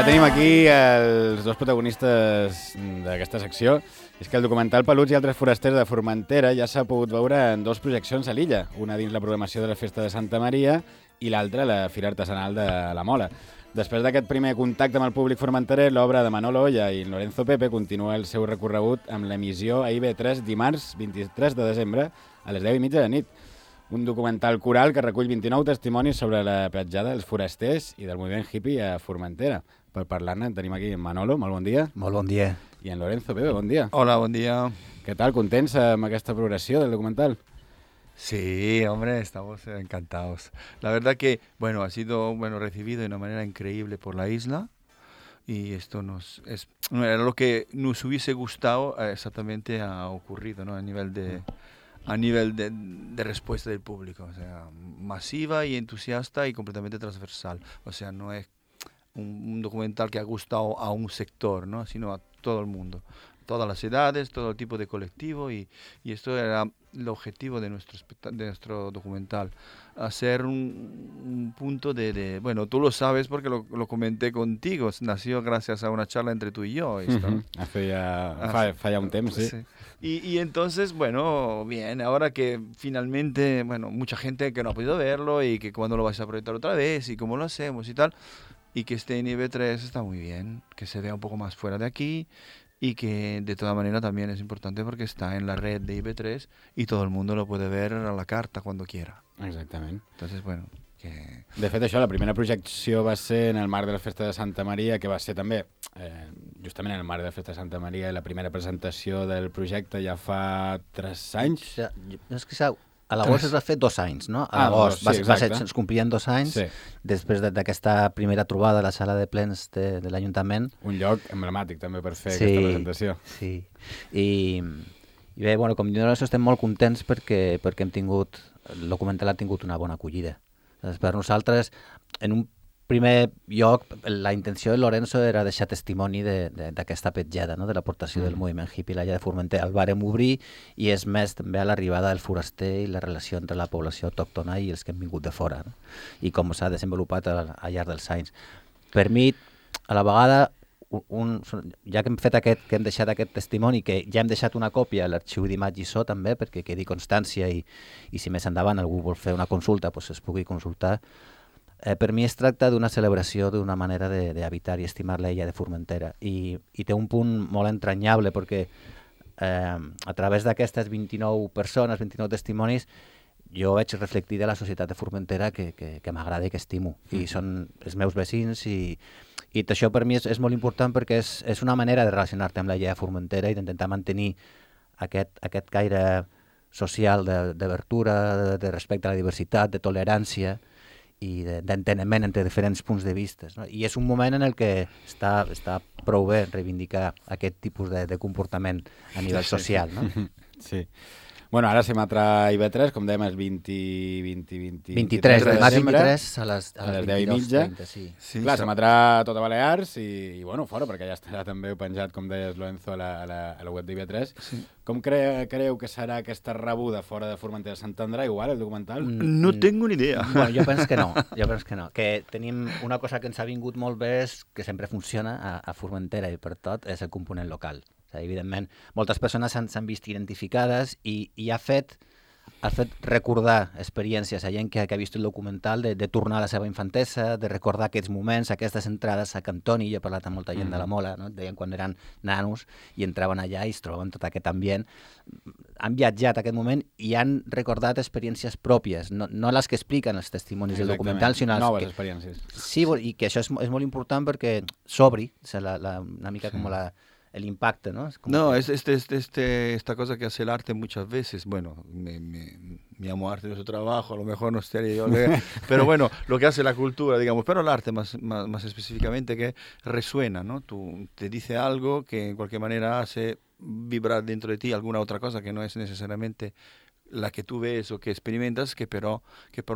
ja tenim aquí els dos protagonistes d'aquesta secció. És que el documental Peluts i altres forasters de Formentera ja s'ha pogut veure en dos projeccions a l'illa, una dins la programació de la Festa de Santa Maria i l'altra a la Fira Artesanal de la Mola. Després d'aquest primer contacte amb el públic formenterer, l'obra de Manolo Olla i Lorenzo Pepe continua el seu recorregut amb l'emissió a IB3 dimarts 23 de desembre a les 10:30 de la nit. Un documental coral que recull 29 testimonis sobre la petjada dels forasters i del moviment hippie a Formentera. Per parlar-ne tenim aquí en Manolo, molt bon dia. Molt bon dia. I en Lorenzo Pepe, bon dia. Hola, bon dia. Què tal, contents amb aquesta progressió del documental? Sí, hombre, estamos encantados. La verdad que, bueno, ha sido recibido de una manera increíble por la isla y esto era lo que nos hubiese gustado exactamente ha ocurrido, ¿no? A nivel de respuesta del público, o sea, masiva y entusiasta y completamente transversal. O sea, no es un documental que ha gustado a un sector, ¿no? Sino a todo el mundo, todas las edades, todo tipo de colectivo y esto era el objetivo de nuestro documental, hacer un punto bueno, tú lo sabes porque lo comenté contigo, nació gracias a una charla entre tú y yo. Esto. Hace ya un tiempo, sí. Y entonces, bueno, bien, ahora que finalmente, bueno, mucha gente que no ha podido verlo y que cuando lo vais a proyectar otra vez y cómo lo hacemos y tal, y que esté en IB3 está muy bien, que se vea un poco más fuera de aquí y que de toda manera también es importante porque está en la red de IB3 y todo el mundo lo puede ver a la carta cuando quiera. Exactament. Entonces, bueno, que... De fet, això, la primera projecció va ser en el marc de la Festa de Santa Maria, que va ser també, justament en el marc de la Festa de Santa Maria, i la primera presentació del projecte ja fa 3 anys. És que a l'agost es va fer 2 anys, no? A l'agost es complien 2 anys després d'aquesta primera trobada a la sala de plens de l'Ajuntament. Un lloc emblemàtic també per fer aquesta presentació. Sí, i bé, bueno, com diu, estem molt contents perquè hem tingut, el documental ha tingut una bona acollida. Per nosaltres, en un primer lloc, la intenció de Lorenzo era deixar testimoni d'aquesta petjada, no? De l'aportació del moviment hippie a l'illa de Formentera. El vàrem obrir i és més també a l'arribada del foraster i la relació entre la població autòctona i els que han vingut de fora, no? I com s'ha desenvolupat al llarg dels anys. Per mi, a la vegada, ja que hem deixat aquest testimoni, que ja hem deixat una còpia a l'arxiu d'imatge i so també, perquè quedi constància i si més endavant algú vol fer una consulta, doncs es pugui consultar. Per mi es tracta d'una celebració d'una manera d'habitar i estimar l'illa de Formentera i té un punt molt entranyable perquè a través d'aquestes 29 persones, 29 testimonis, jo veig reflectida la societat de Formentera que m'agrada i que estimo i són els meus veïns i això per mi és molt important perquè és una manera de relacionar-te amb l'illa de Formentera i d'intentar mantenir aquest caire social d'obertura, de respecte a la diversitat, de tolerància i d'enteniment entre diferents punts de vista, no? I és un moment en el que està prou bé reivindicar aquest tipus de comportament a nivell social, no? Sí. Bueno, ara s'hem entrat a IB3, com dèiem, és 23 de desembre, a les 10:30. Sí. Clar, s'hem entrat tot a Balears i bueno, fora, perquè ja estarà també penjat, com deies, Lorenzo, a la web d'IB3. Sí. Com creu que serà aquesta rebuda fora de Formentera? S'entendrà igual el documental? No tengo ni idea. Bueno, jo penso que no. Que tenim una cosa que ens ha vingut molt bé, és que sempre funciona a Formentera i per tot, és el component local. Evidentment, moltes persones s'han vist identificades i ha fet recordar experiències a gent que ha vist el documental de tornar a la seva infantesa, de recordar aquests moments, aquestes entrades a Cantoni. Jo he parlat amb molta gent de la Mola, no? Deien quan eren nanos i entraven allà i es trobaven tot aquest ambient. Han viatjat a aquest moment i han recordat experiències pròpies, no les que expliquen els testimonis del documental, sinó noves experiències. Sí, i que això és molt important perquè s'obri, una mica com el impacto, ¿no? No, esta cosa que hace el arte muchas veces, bueno, me amo arte de su trabajo, a lo mejor no estaría yo, pero bueno, lo que hace la cultura, digamos, pero el arte más específicamente que resuena, ¿no? Te dice algo que en cualquier manera hace vibrar dentro de ti alguna otra cosa que no es necesariamente la que tú ves o que experimentas, que pero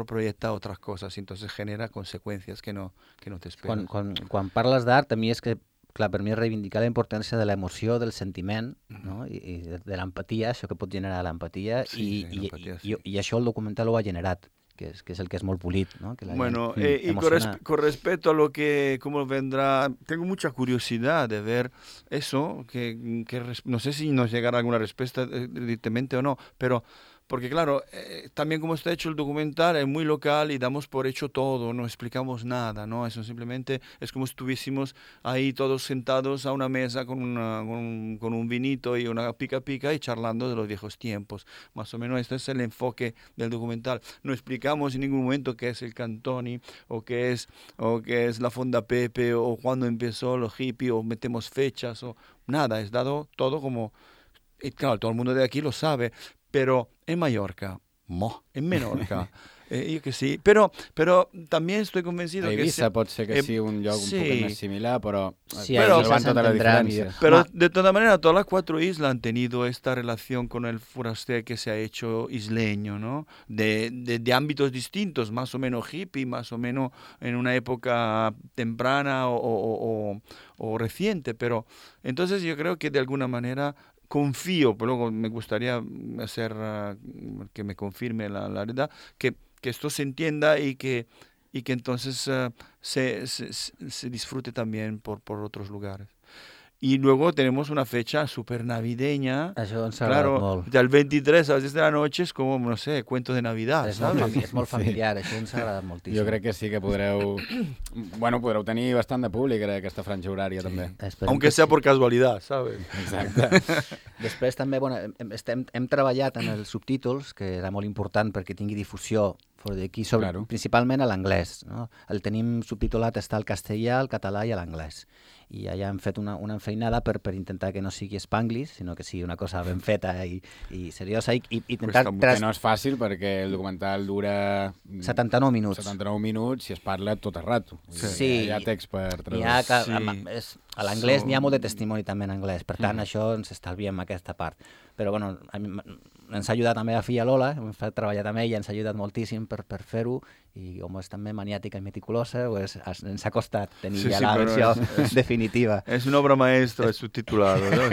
proyecta otras cosas, y entonces genera consecuencias que no te esperas. Quan parles d'art, a mi és que clar, per mi és reivindicar la importància de l'emoció, del sentiment, no? I de l'empatia, això que pot generar l'empatia, i això el documental ho ha generat. que es el que es molt polit, ¿no? Que la Bueno, gent y con respecto a lo que, cómo vendrá, tengo mucha curiosidad de ver eso, no sé si nos llegará alguna respuesta directamente o no, pero porque claro, también como está hecho el documental es muy local y damos por hecho todo, no explicamos nada, ¿no? Eso simplemente es como si estuviésemos ahí todos sentados a una mesa con un vinito y una pica pica y charlando de los viejos tiempos. Más o menos este es el enfoque del documental. No explicamos en ningún momento qué es el Cantoni o qué es la Fonda Pepe o cuándo empezó los hippies o metemos fechas o nada, es dado todo como... Y claro, todo el mundo de aquí lo sabe, pero en Mallorca, en Menorca, yo que sí, pero también estoy convencido a Eivissa pot ser que sigui un lloc un poc més similar, però sí, però Eivissa van tota la diferència. Pero de todas maneras, todas las 4 islas han tenido esta relación con el foraster que se ha hecho isleño, ¿no? De ámbitos distintos, más o menos hippie, más o menos en una época temprana o reciente, pero entonces yo creo que de alguna manera confío, pero luego me gustaría hacer que me confirme la verdad, que esto se entienda y que entonces se disfrute también por otros lugares. Y luego tenemos una fecha súper navideña. Això ens agrada molt. Del 23 a las 10 de la noche es como, no sé, cuento de Navidad, ¿sabes? És molt familiar, això ens agrada moltíssim. Jo crec que sí que podreu tenir bastant de públic en aquesta franja horària, també. Aunque sea por casualidad, ¿sabes? Exacte. Després també, hem treballat en els subtítols, que era molt important perquè tingui difusió fora d'aquí, principalment a l'anglès, no? El tenim subtitulat, està al castellà, al català i a l'anglès. I allà hem fet una enfeinada per intentar que no sigui Spanglish, sinó que sigui una cosa ben feta i seriosa. I intentar... Que no és fàcil perquè el documental dura... 79 minuts. 79 minuts i es parla tot el rato. Sí. Hi ha text per traduir. A l'anglès n'hi ha molt de testimoni també en anglès, per tant això ens estalviem aquesta part. Però bueno, ens ha ajudat també a filla Lola, hem fet treballar amb ella, ens ha ajudat moltíssim per fer-ho, i com és també maniàtica i meticulosa, pues, ens ha costat tenir ja la versió definitiva. És una obra maestra, és subtitulado, ¿no?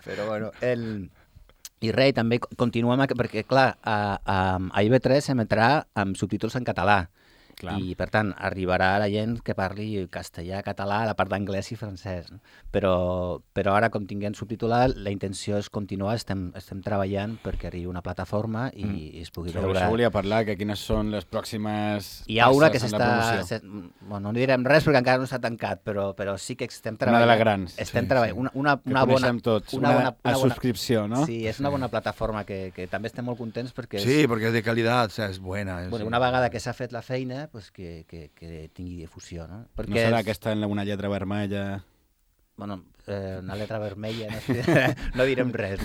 Però bueno, i res, també continuem, perquè clar, a IB3 s'emetrà amb subtítols en català. Clar. I, per tant, arribarà la gent que parli castellà, català, a la part d'anglès i francès. No? Però ara, com tinguem subtitulat, la intenció és continuar, estem treballant perquè arribi una plataforma i es pugui veure... Això volia parlar, que quines són les pròximes hi ha una que s'està... Bueno, no direm res perquè encara no s'ha tancat, però sí que estem treballant... Una de les grans. Estem treballant. Una que coneixem tots, una subscripció, no? Sí, és una bona plataforma que també estem molt contents perquè... Sí, perquè és de qualitat, o sea, és bona. Bueno, una vegada que s'ha fet la feina, pues que tingui difusió, no? Perquè no serà aquesta en una lletra vermella? Bueno, una lletra vermella, no direm res,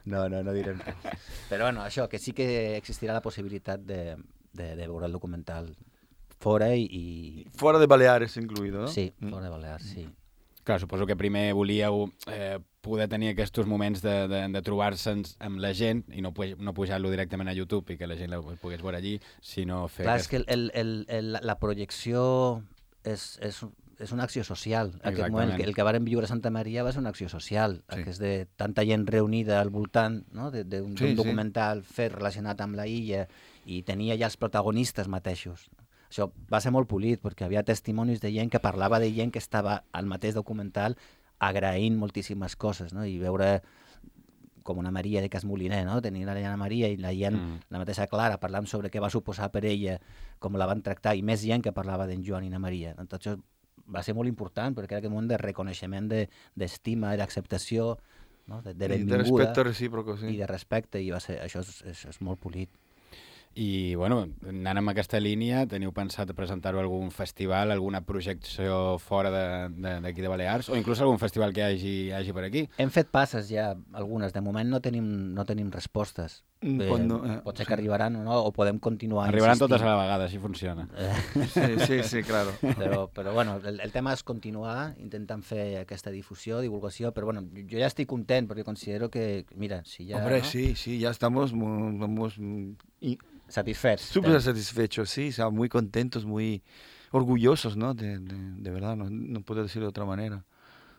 No direm res. Però bueno, això, que sí que existirà la possibilitat de veure el documental fora i... Fora de Baleares incluïdo, no? Sí, fora de Baleares, sí. Clar, suposo que primer volíeu poder tenir aquests moments de trobar-se amb la gent i no pujar-lo directament a YouTube i que la gent el pogués veure allí, sinó fer... Clar, és que la projecció és una acció social. En aquest moment, el que vàrem viure a Santa Maria va ser una acció social, que és de tanta gent reunida al voltant, no? d'un documental fet relacionat amb la illa i tenia ja els protagonistes mateixos. Això va ser molt polit, perquè havia testimonis de gent que parlava de gent que estava al mateix documental agraint moltíssimes coses, no? I veure com una Maria de Cas Moliner, no? Tenir la Llana Maria i la gent, la mateixa Clara, parlant sobre què va suposar per ella, com la van tractar, i més gent que parlava d'en Joan i na Maria. Tot això va ser molt important, perquè era aquest moment de reconeixement, d'estima i d'acceptació, no? De benvinguda. I de respecte recíproc, sí. I de respecte, i això és molt polit. I, bueno, anant amb aquesta línia, teniu pensat presentar-ho a algun festival, alguna projecció fora d'aquí de Balears, o inclús algun festival que hi hagi per aquí? Hem fet passes ja, algunes. De moment no tenim respostes. Pot ser que arribaran o no, o podem continuar Arribaran insistint. totes a la vegada, així funciona. Sí, claro. Però bueno, el tema és continuar intentant fer aquesta difusió, divulgació, però bueno, jo ja estic content, perquè considero que, mira, si ja... Hombre, ¿no? sí, ya estamos satisfechos. Súper satisfechos, sí, o sea, muy contentos, muy orgullosos, ¿no? De verdad, no puedo decirlo de otra manera.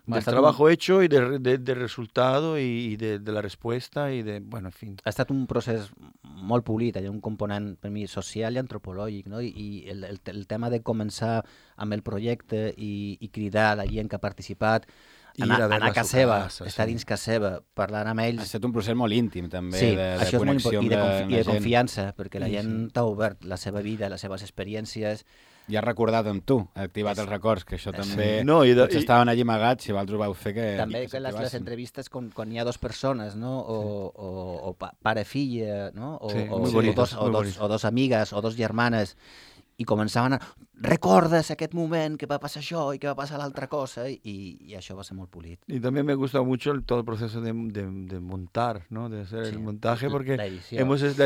del trabajo hecho y del resultado y de la respuesta y de, bueno, en fin. Ha estat un procés molt polit, hi ha un component per mi social i antropològic, no? I el tema de començar amb el projecte i cridar a la gent que ha participat, anar a casa seva, estar dins casa seva, parlar amb ells... Ha estat un procés molt íntim, també, sí, de connexió i de gent. confiança, perquè la gent t'ha obert la seva vida, les seves experiències... I ha recordat amb tu, ha activat els records, que això també... No, tots estaven allí amagats, si vosaltres ho vau fer que... També que les entrevistes quan hi ha dues persones, no? O pare-filla, no? O dos amigues, o dos germanes, i començaven a... Recordes aquest moment que va passar això i que va passar l'altra cosa, i això va ser molt polit. Y también me gusta mucho todo el proceso de montar, ¿no? De hacer el montaje, porque la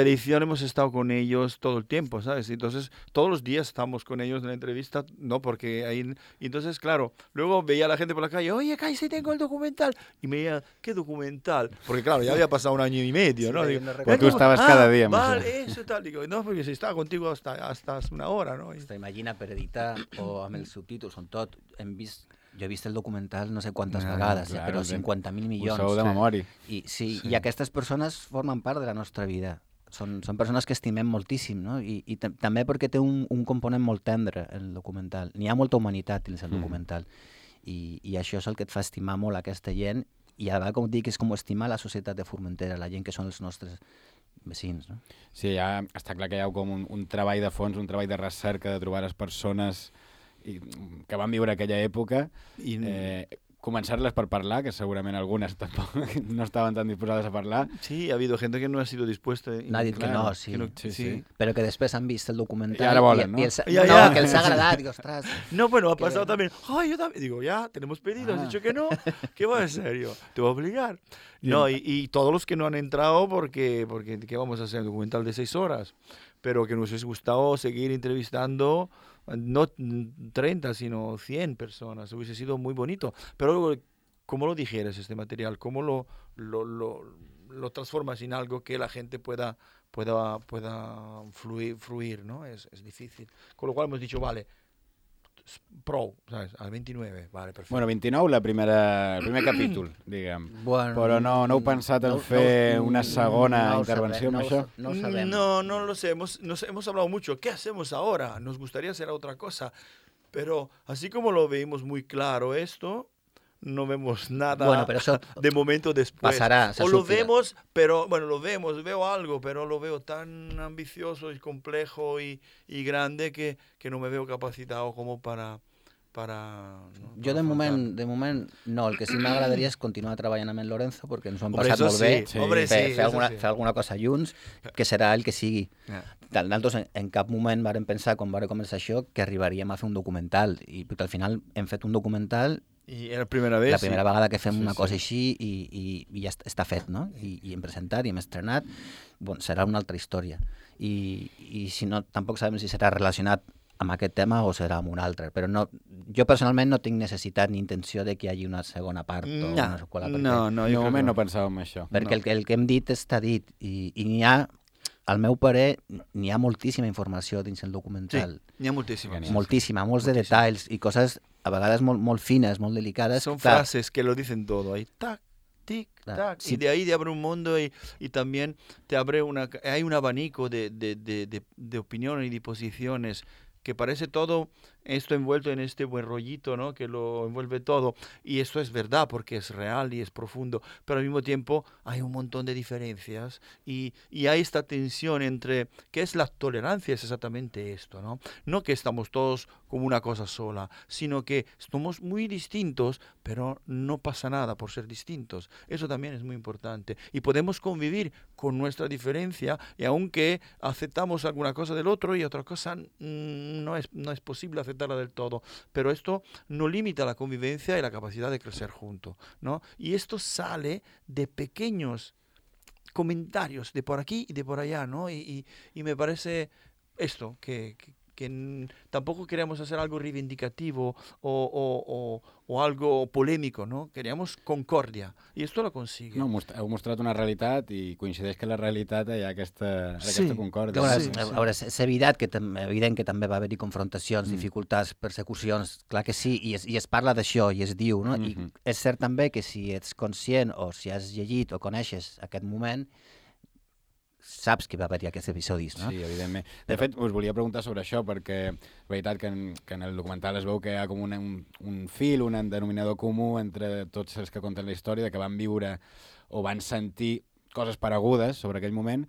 edición hemos estado con ellos todo el tiempo, ¿sabes? Entonces, todos los días estamos con ellos en la entrevista, ¿no? Porque ahí... Y entonces, claro, luego veía a la gente por la calle, oye, Kai, sí tengo el documental. Y me decía, ¿qué documental? Porque, claro, ya había pasado 1 año y medio, ¿no? Digo, Cuando tú estabas cada día. Vale, eso tal. Digo, no, porque si estaba contigo hasta hace 1 hora, ¿no? Imagina per editar o amb els subtítols, on tot, jo he vist el documental no sé quantes vegades, però 50.000 milions. Ho sabeu de memòria. I aquestes persones formen part de la nostra vida. Són persones que estimem moltíssim, no? I també perquè té un component molt tendre, el documental. N'hi ha molta humanitat dins el documental. I això és el que et fa estimar molt aquesta gent, i a vegades, com dic, és com estimar la societat de Formentera, la gent que són els nostres vecins, no? Sí, ja està clar que hi ha com un treball de fons, un treball de recerca, de trobar les persones que van viure aquella època, començar-les per parlar, que segurament algunes tampoc no estaven tan disposades a parlar. Sí, ha habido gente que no ha sido dispuesta. N'ha dit que no, sí. Sí. Però que després han vist el documental i ara volen, ¿no? Que els ha agradat, digo, ostras. No, bueno, ha pasado también. Ay, yo también. Digo, ya, tenemos pedido, has dicho que no. ¿Qué va en serio? Te voy a obligar. No, y todos los que no han entrado porque ¿qué vamos a hacer? Un documental de 6 horas. Pero que nos hubiese gustado seguir entrevistando, no 30, sino 100 personas. Hubiese sido muy bonito. Pero luego, ¿cómo lo digieres este material? ¿Cómo lo transformas en algo que la gente pueda fluir, ¿no? Es difícil. Con lo cual hemos dicho, vale, prou, ¿sabes? Al 29, vale, perfecte. Bueno, 29, el primer capítol, diguem. Bueno, però no heu pensat en fer una segona intervenció amb això? No ho sabem. No lo sé. Hemos hablado mucho. ¿Qué hacemos ahora? Nos gustaría hacer otra cosa. Pero así como lo veíamos muy claro esto, no vemos nada de momento después. Pasará. O lo vemos, pero bueno, veo algo, pero lo veo tan ambicioso y complejo y grande que no me veo capacitado como para jo de moment no, el que sí m'agradaria és continuar treballant amb en Lorenzo perquè ens ho hem passat molt bé, fer alguna cosa junts, que serà el que sigui. Nosaltres en cap moment vàrem pensar, quan vàrem començar això, que arribaríem a fer un documental, i perquè al final hem fet un documental i era la primera vegada que fem una cosa així i ja està fet, no? I hem presentat i hem estrenat, bueno, serà una altra història. I si no, tampoc sabem si serà relacionat amb aquest tema o serà amb un altre, però no, jo personalment no tinc necessitat ni intenció de que hi hagi una segona part o una seqüela. No, de moment no pensàvem en això. Perquè el que hem dit està dit, i n'hi ha, al meu parer, n'hi ha moltíssima informació dins el documental. Sí, n'hi ha moltíssima. Moltíssima, molts de detalls i coses a vegades molt fines, molt delicades. Son frases que lo dicen todo, ahí, tac, tic, tac, y de ahí te abre un mundo y también te abre hay un abanico de opiniones y de posiciones que parece todo esto envuelto en este buen rollito, ¿no? Que lo envuelve todo. Y esto es verdad porque es real y es profundo, pero al mismo tiempo hay un montón de diferencias y hay esta tensión entre qué es la tolerancia, es exactamente esto, ¿no? No que estamos todos como una cosa sola, sino que somos muy distintos, pero no pasa nada por ser distintos. Eso también es muy importante. Y podemos convivir con nuestra diferencia y aunque aceptamos alguna cosa del otro y otra cosa no es posible aceptarla del todo, pero esto no limita la convivencia y la capacidad de crecer juntos, ¿no? Y esto sale de pequeños comentarios de por aquí y de por allá, ¿no? Y me parece esto, que tampoco queríamos hacer algo reivindicativo o algo polémico, ¿no? Queríamos concordia, i esto lo consigue. No, heu mostrat una realitat i coincideix que la realitat hi ha aquesta concòrdia. A veure, és evident que també va haver-hi confrontacions, dificultats, persecucions, clar que sí, i es parla d'això, i es diu, no? I és cert també que si ets conscient o si has llegit o coneixes aquest moment, saps que va haver-hi aquests episodis, no? Sí, evidentment. De fet, us volia preguntar sobre això, perquè és veritat que en el documental es veu que hi ha com un fil, un denominador comú entre tots els que conten la història, de que van viure o van sentir coses paregudes sobre aquell moment,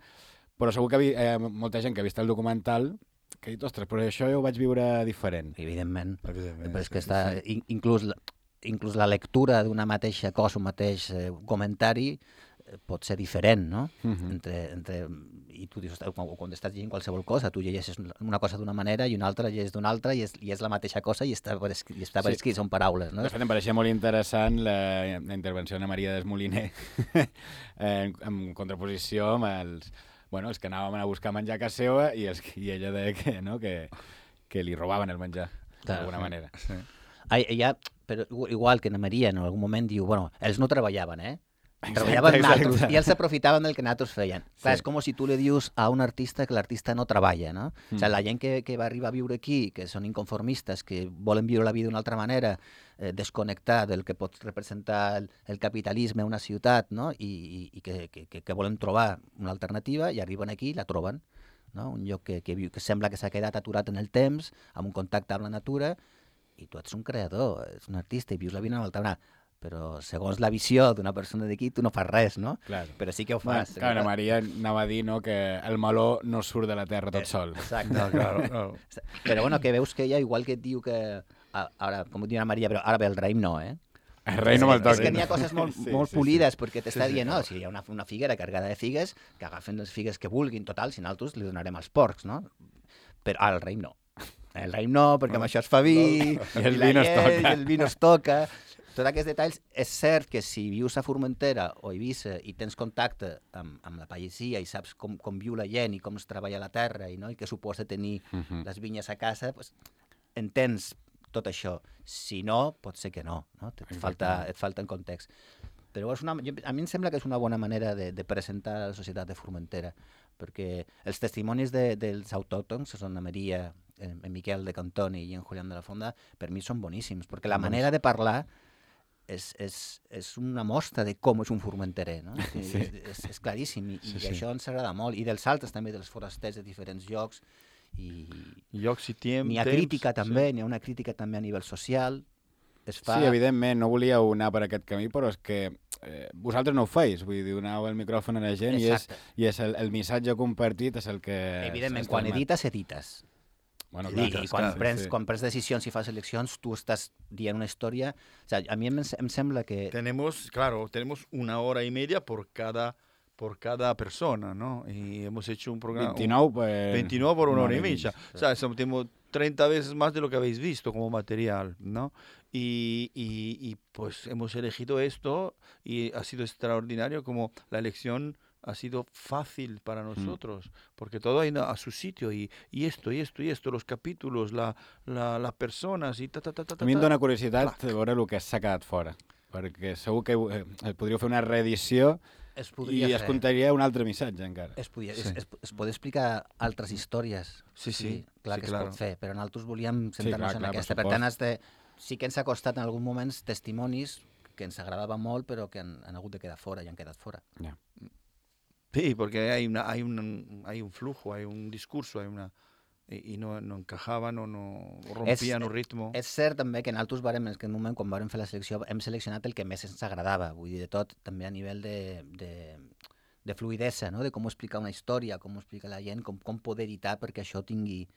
però segur que hi ha molta gent que ha vist el documental que ha dit, ostres, però això jo ho vaig viure diferent. Evidentment. Però és que està... Inclús la lectura d'una mateixa cosa, un mateix comentari, pot ser diferent, no? I tu dius, quan estàs llegint qualsevol cosa, tu llegeixes una cosa d'una manera i una altra llegeixes d'una altra i és la mateixa cosa i està per escrit, són paraules, no? De fet, em pareixia molt interessant la intervenció d'Anna Maria Desmoliner en contraposició amb els que anàvem a buscar menjar a casa seva i ella deia que li robaven el menjar, d'alguna manera. Però igual que Anna Maria en algun moment diu, bueno, ells no treballaven, treballaven nosaltres i ells aprofitaven del que nosaltres feien. Clar, és com si tu li dius a un artista que l'artista no treballa, no? O sigui, la gent que va arribar a viure aquí, que són inconformistes, que volen viure la vida d'una altra manera, desconnectar del que pot representar el capitalisme a una ciutat, no? I que volen trobar una alternativa i arriben aquí i la troben, no? Un lloc que sembla que s'ha quedat aturat en el temps, amb un contacte amb la natura, i tu ets un creador, ets un artista i vius la vida d'una altra manera. Però segons la visió d'una persona d'aquí, tu no fas res, no? Claro. Però sí que ho fas. Clar, Anna Maria anava a dir que el meló no surt de la terra tot sol. Exacte. No, claro. Però bueno, que veus que ella, igual que et diu que... Ara, com diu Anna Maria, però ara ve el raïm, no, El raïm no me'l toqui. És que n'hi ha coses molt polides, perquè t'està dient, no, si hi ha una figuera carregada de figues, que agafen les figues que vulguin, total, si nosaltres li donarem als porcs, no? Però el raïm no. El raïm no, perquè amb això es fa vi, i el vi no es toca. Tots aquests detalls, és cert que si vius a Formentera o a Eivissa i tens contacte amb la pagesia i saps com viu la gent i com es treballa la terra i què suposa tenir les vinyes a casa, pues, entens tot això. Si no, pot ser que no? Et falta en context. Però a mi em sembla que és una bona manera de presentar la societat de Formentera, perquè els testimonis dels autòctons, són Anna Maria, en Miquel de Cantoni i en Julián de la Fonda, per mi són boníssims, perquè la manera de parlar és una mostra de com és un formenterer, no? És claríssim, i això ens agrada molt, i dels altres també, dels forasters de diferents llocs, llocs i temps. N'hi ha crítica també, n'hi ha una crítica també a nivell social. Sí, evidentment, no volíeu anar per aquest camí, però és que vosaltres no ho feis, vull dir, doneu el micròfon a la gent i és el missatge compartit és el que... Evidentment, quan edites. Bueno, clar, quan prens decisions i fas eleccions, tu estàs dient una història. O sea, a mi em sembla que... Tenemos 1 hora y media por cada persona, ¿no? Y hemos hecho un programa... 29 por 1 hora y media. O sea, tenemos 30 veces más de lo que habéis visto como material, ¿no? Y pues hemos elegido esto y ha sido extraordinario como la elección... ha sido fácil para nosotros, porque todo hay a su sitio, y esto, los capítulos, las personas, y A mi em dóna curiositat veure el que s'ha quedat fora, perquè segur que podríeu fer una reedició i es contaria un altre missatge encara. Es pot explicar altres històries, clar que es pot fer, però nosaltres volíem centrar-nos en aquesta. Per tant, sí que ens ha costat en alguns moments testimonis que ens agradaven molt, però que han hagut de quedar fora i han quedat fora. Sí, porque hay un flujo, hay un discurso, y no encajaban o no rompien el ritmo. És cert també que nosaltres en aquest moment, quan vam fer la selecció, hem seleccionat el que més ens agradava, vull dir, de tot, també a nivell de fluidesa, no? De com explicar una història, com explicar la gent, com poder editar perquè això tingui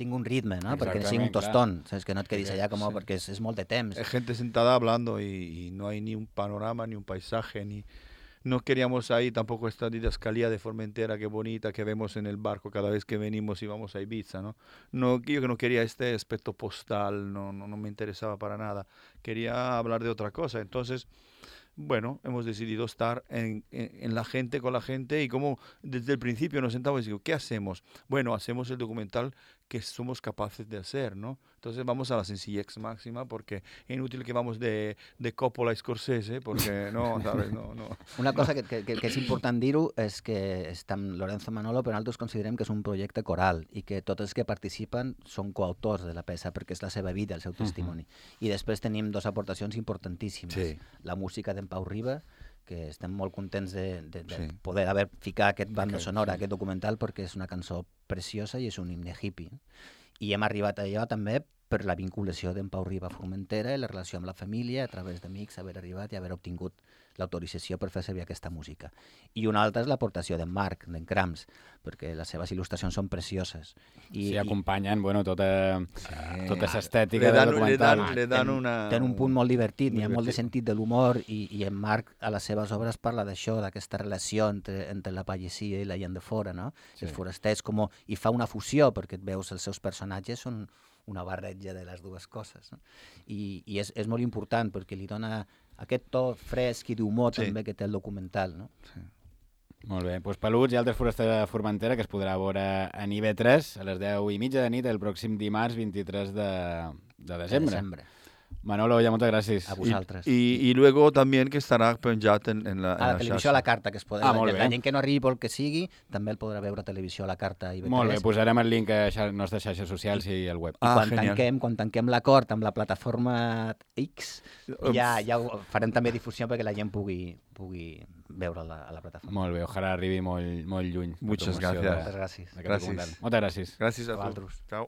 un ritme, ¿no? Perquè no sigui un tostón, ¿sabes? Que no et quedis allà perquè és molt de temps. Hay gente sentada hablando y no hay ni un panorama, ni un paisaje, no queríamos ahí tampoco esta didascalía de Formentera, qué bonita, que vemos en el barco cada vez que venimos y vamos a Ibiza, ¿no? Yo que no quería este aspecto postal, no me interesaba para nada. Quería hablar de otra cosa. Entonces, bueno, hemos decidido estar en la gente, con la gente, y como desde el principio nos sentamos y digo, ¿qué hacemos? Bueno, hacemos el documental que somos capaces de hacer, ¿no? Entonces vamos a la sencillez máxima porque es inútil que vamos de Coppola a Scorsese porque no, ¿sabes? No. Una cosa que és important dir-ho és que està amb Lorenzo Manolo, però nosaltres considerem que és un projecte coral i que tots els que participen són coautors de la peça perquè és la seva vida, el seu testimoni. I després tenim dues aportacions importantíssimes. Sí. La música d'en Pau Riba, que estem molt contents de poder haver ficat aquest banda sonora, aquest documental, perquè és una cançó preciosa i és un himne hippie. I hem arribat a allò també per la vinculació d'en Pau Riba a Formentera i la relació amb la família, a través d'amics, haver arribat i haver obtingut l'autorització per fer servir aquesta música. I una altra és l'aportació d'en Marc, d'en Crams, perquè les seves il·lustracions són precioses. I acompanyen tota l'estètica del documental. Tenen un punt molt divertit, hi ha molt de sentit de l'humor i en Marc a les seves obres parla d'això, d'aquesta relació entre la pagesia i la gent de fora, no? Els forasters, i fa una fusió, perquè et veus els seus personatges són una barreja de les dues coses. No? I és molt important perquè li dona aquest to fresc i d'humor també que té el documental. No? Sí. Molt bé, doncs Peluts i altres forasters de Formentera que es podrà veure en IB3 a les 10:30 de nit el pròxim dimarts 23 de desembre. Manolo, ya muchas gracias. A vosotras. Y luego también que estarà penjat en la televisió a la carta, que es podrà... La gent que no arribi pel que sigui, també el podrà veure a televisió a la carta IB3. Molt bé, posarem el link a les nostres xarxes socials i al web. I quan tanquem l'acord amb la plataforma X, ja ho farem també difusió perquè la gent pugui veure a la plataforma. Molt bé, ojalà arribi molt lluny. Muchas gracias. Moltes gràcies. Moltes gràcies. Moltes gràcies. Gràcies a vosaltres. Ciao.